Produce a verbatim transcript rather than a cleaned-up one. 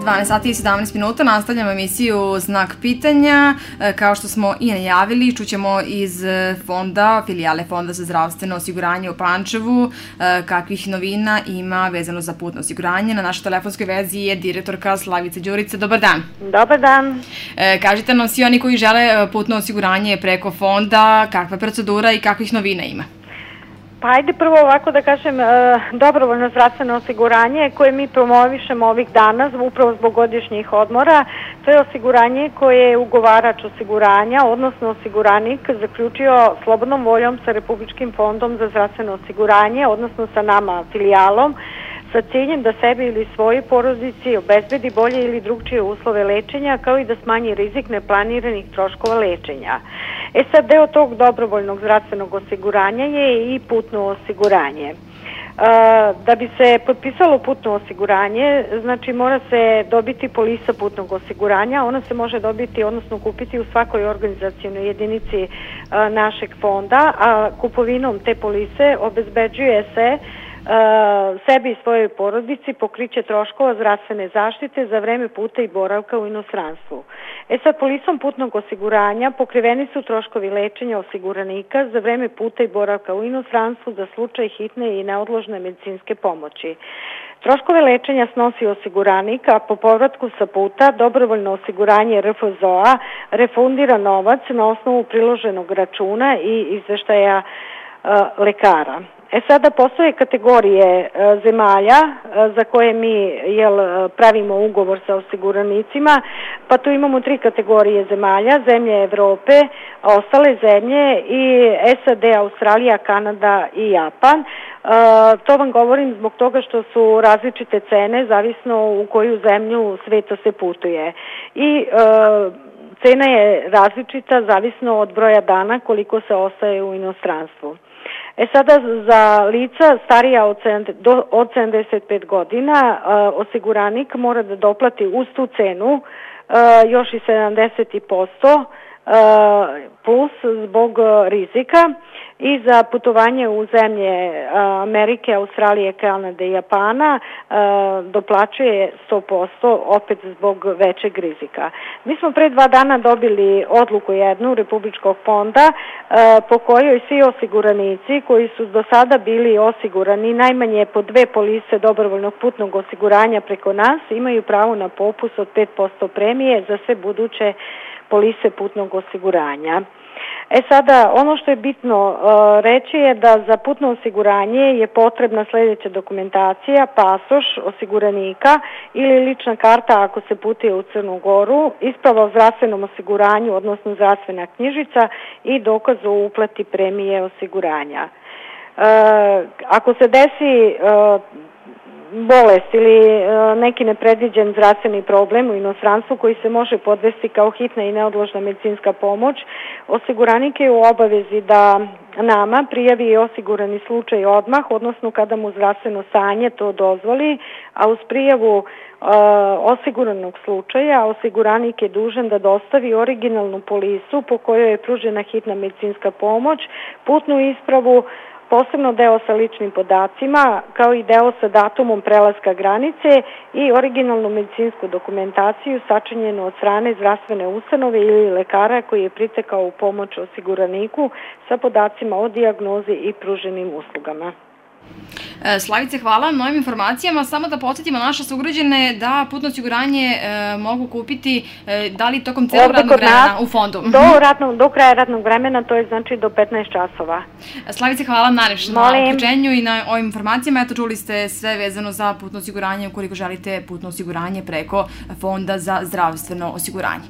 dvanaest sati i sedamnaest minuta, nastavljamo emisiju Znak pitanja. Kao što smo i najavili, čućemo iz fonda, filijale Fonda za zdravstveno osiguranje u Pančevu, kakvih novina ima vezano za putno osiguranje. Na našoj telefonskoj vezi je direktorka Slavica Đurica. Dobar dan. Dobar dan. Kažite nam svi oni koji žele putno osiguranje preko fonda, kakva je procedura i kakvih novina ima? Pa ajde prvo ovako da kažem, dobrovoljno zdravstveno osiguranje koje mi promovišemo ovih dana upravo zbog godišnjih odmora, to je osiguranje koje je ugovarač osiguranja, odnosno osiguranik zaključio slobodnom voljom sa Republičkim fondom za zdravstveno osiguranje, odnosno sa nama filijalom, sa ciljem da sebi ili svojoj porodici obezbedi bolje ili drugčije uslove lečenja, kao i da smanji rizik neplaniranih troškova lečenja. E sad, deo tog dobrovoljnog zdravstvenog osiguranja je i putno osiguranje. Da bi se potpisalo putno osiguranje, znači mora se dobiti polisa putnog osiguranja, ona se može dobiti, odnosno kupiti u svakoj organizacionoj jedinici našeg fonda, a kupovinom te polise obezbeđuje se sebi i svojoj porodici pokriće troškova zdravstvene zaštite za vreme puta i boravka u inostranstvu. E sad, polisom putnog osiguranja pokriveni su troškovi lečenja osiguranika za vreme puta i boravka u inostranstvu za slučaj hitne i neodložne medicinske pomoći. Troškove lečenja snosi osiguranik, a po povratku sa puta dobrovoljno osiguranje R F Z O A refundira novac na osnovu priloženog računa i izveštaja lekara. E sada postoje kategorije zemalja za koje mi jel, pravimo ugovor sa osiguranicima, pa tu imamo tri kategorije zemalja, zemlje Evrope, ostale zemlje i S A D, Australija, Kanada i Japan. To vam govorim zbog toga što su različite cene, zavisno u koju zemlju sveta se putuje. I cena je različita, zavisno od broja dana koliko se ostaje u inostranstvu. E sada, za lica starija od sedamdeset pet godina, osiguranik mora da doplati uz tu cenu još i sedamdeset posto plus zbog rizika i za putovanje u zemlje Amerike, Australije, Kanade i Japana doplaćuje sto posto opet zbog većeg rizika. Mi smo pre dva dana dobili odluku jednu Republičkog fonda po kojoj svi osiguranici koji su do sada bili osigurani najmanje po dve polise dobrovoljnog putnog osiguranja preko nas imaju pravo na popust od pet posto premije za sve buduće polise putnog osiguranja. E sada, ono što je bitno uh, reći je da za putno osiguranje je potrebna sljedeća dokumentacija, pasoš osiguranika ili lična karta ako se putuje u Crnu Goru, isprava o zdravstvenom osiguranju, odnosno zdravstvena knjižica i dokaz o uplati premije osiguranja. Uh, ako se desi uh, bolest ili neki nepredviđen zdravstveni problem u inostranstvu koji se može podvesti kao hitna i neodložna medicinska pomoć, osiguranik je u obavezi da nama prijavi osigurani slučaj odmah, odnosno kada mu zdravstveno stanje to dozvoli, a uz prijavu osiguranog slučaja osiguranik je dužan da dostavi originalnu polisu po kojoj je pružena hitna medicinska pomoć, putnu ispravu, posebno deo sa ličnim podacima, kao i deo sa datumom prelaska granice i originalnu medicinsku dokumentaciju sačinjenu od strane zdravstvene ustanove ili lekara koji je pritekao u pomoć osiguraniku sa podacima o dijagnozi i pruženim uslugama. Slavice, hvala na novim informacijama. Samo da podsjetimo naše sugrađane da putno osiguranje e, mogu kupiti e, da li tokom celog radnog vremena u fondu? Do, radnog, do kraja radnog vremena, to je znači do petnaest časova. Slavice, hvala najlepše na uključenju i na ovim informacijama. Eto, čuli ste sve vezano za putno osiguranje ukoliko želite putno osiguranje preko Fonda za zdravstveno osiguranje.